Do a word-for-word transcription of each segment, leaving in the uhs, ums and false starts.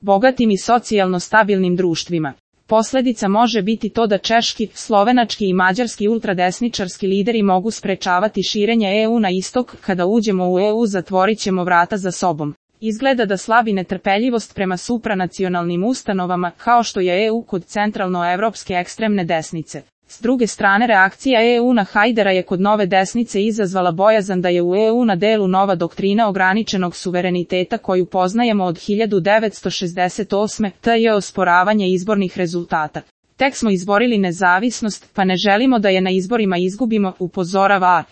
bogatim i socijalno stabilnim društvima. Posljedica može biti to da češki, slovenački i mađarski ultradesničarski lideri mogu sprečavati širenje E U na istok. Kada uđemo u E U zatvorit ćemo vrata za sobom. Izgleda da slabi netrpeljivost prema supranacionalnim ustanovama, kao što je E U kod centralnoevropske ekstremne desnice. S druge strane, reakcija E U na Hajdara je kod nove desnice izazvala bojazan da je u E U na delu nova doktrina ograničenog suvereniteta koju poznajemo od hiljadu devetsto šezdeset osme. T je osporavanje izbornih rezultata. Tek smo izborili nezavisnost, pa ne želimo da je na izborima izgubimo, upozorava A.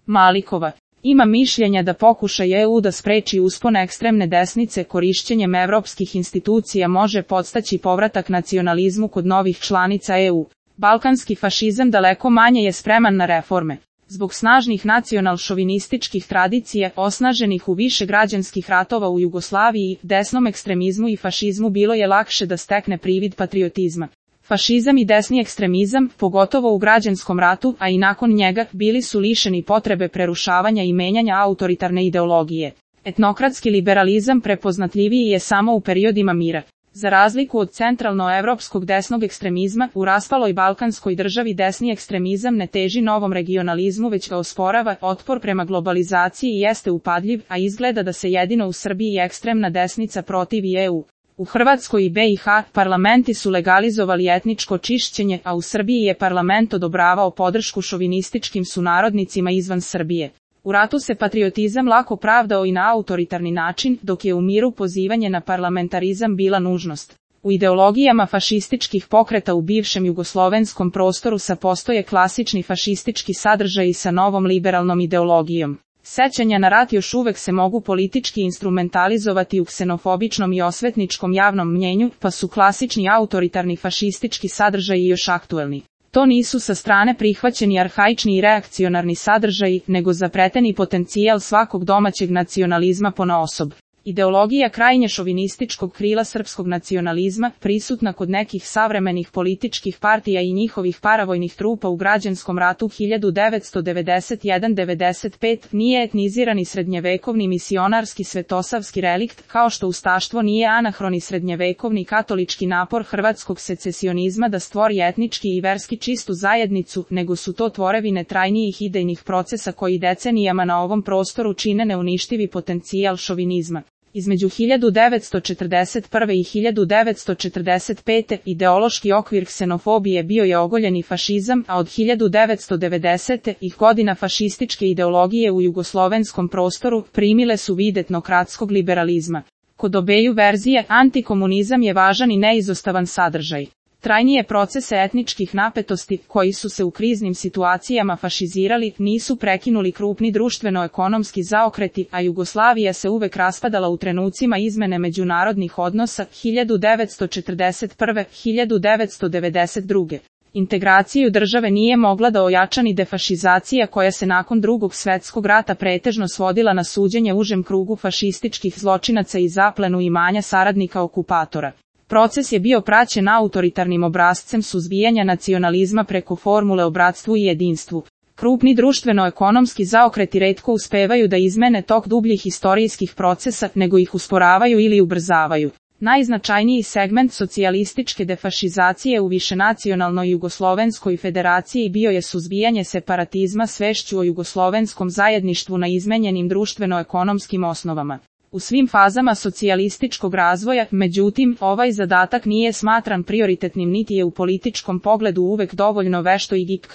Malikova. Ima mišljenja da pokušaj E U da spreči uspon ekstremne desnice korišćenjem evropskih institucija može podstaći povratak nacionalizmu kod novih članica E U. Balkanski fašizam daleko manje je spreman na reforme. Zbog snažnih nacional-šovinističkih tradicija, osnaženih u više građanskih ratova u Jugoslaviji, desnom ekstremizmu i fašizmu bilo je lakše da stekne privid patriotizma. Fašizam i desni ekstremizam, pogotovo u građanskom ratu, a i nakon njega, bili su lišeni potrebe prerušavanja i menjanja autoritarne ideologije. Etnokratski liberalizam prepoznatljiviji je samo u periodima mira. Za razliku od centralnoevropskog desnog ekstremizma, u raspaloj balkanskoj državi desni ekstremizam ne teži novom regionalizmu već ga osporava. Otpor prema globalizaciji jeste upadljiv, a izgleda da se jedino u Srbiji ekstremna desnica protivi E U. U Hrvatskoj i B i H parlamenti su legalizovali etničko čišćenje, a u Srbiji je parlament odobravao podršku šovinističkim sunarodnicima izvan Srbije. U ratu se patriotizam lako pravdao i na autoritarni način, dok je u miru pozivanje na parlamentarizam bila nužnost. U ideologijama fašističkih pokreta u bivšem jugoslovenskom prostoru sa postoje klasični fašistički sadržaji sa novom liberalnom ideologijom. Sećanja na rat još uvek se mogu politički instrumentalizovati u ksenofobičnom i osvetničkom javnom mnjenju, pa su klasični autoritarni fašistički sadržaji još aktuelni. To nisu sa strane prihvaćeni arhaični i reakcionarni sadržaji, nego zapreteni potencijal svakog domaćeg nacionalizma ponaosob. Ideologija krajnje šovinističkog krila srpskog nacionalizma, prisutna kod nekih savremenih političkih partija i njihovih paravojnih trupa u građanskom ratu hiljadu devetsto devedeset jedan do devedeset pet, nije etnizirani srednjevekovni misionarski svetosavski relikt, kao što ustaštvo nije anahroni srednjevekovni katolički napor hrvatskog secesionizma da stvori etnički i verski čistu zajednicu, nego su to tvorevine trajnijih idejnih procesa koji decenijama na ovom prostoru čine neuništivi potencijal šovinizma. Između hiljadu devetsto četrdeset prve i hiljadu devetsto četrdeset pete ideološki okvir ksenofobije bio je ogoljeni fašizam, a od hiljadu devetsto devedesete ih godina fašističke ideologije u jugoslovenskom prostoru primile su vid etnokratskog liberalizma. Kod obeju verzije, antikomunizam je važan i neizostavan sadržaj. Trajnije procese etničkih napetosti, koji su se u kriznim situacijama fašizirali, nisu prekinuli krupni društveno-ekonomski zaokreti, a Jugoslavija se uvek raspadala u trenucima izmene međunarodnih odnosa hiljadu devetsto četrdeset prve do hiljadu devetsto devedeset druge. Integraciju države nije mogla da ojača ni defašizacija koja se nakon drugog svetskog rata pretežno svodila na suđenje užem krugu fašističkih zločinaca i zaplenu imanja saradnika okupatora. Proces je bio praćen autoritarnim obrascem suzbijanja nacionalizma preko formule o bratstvu i jedinstvu. Krupni društveno-ekonomski zaokreti retko uspevaju da izmene tok dubljih historijskih procesa, nego ih usporavaju ili ubrzavaju. Najznačajniji segment socijalističke defašizacije u višenacionalnoj Jugoslovenskoj federaciji bio je suzbijanje separatizma svešću o jugoslovenskom zajedništvu na izmenjenim društveno-ekonomskim osnovama. U svim fazama socijalističkog razvoja, međutim, ovaj zadatak nije smatran prioritetnim niti je u političkom pogledu uvek dovoljno vešto i gibk.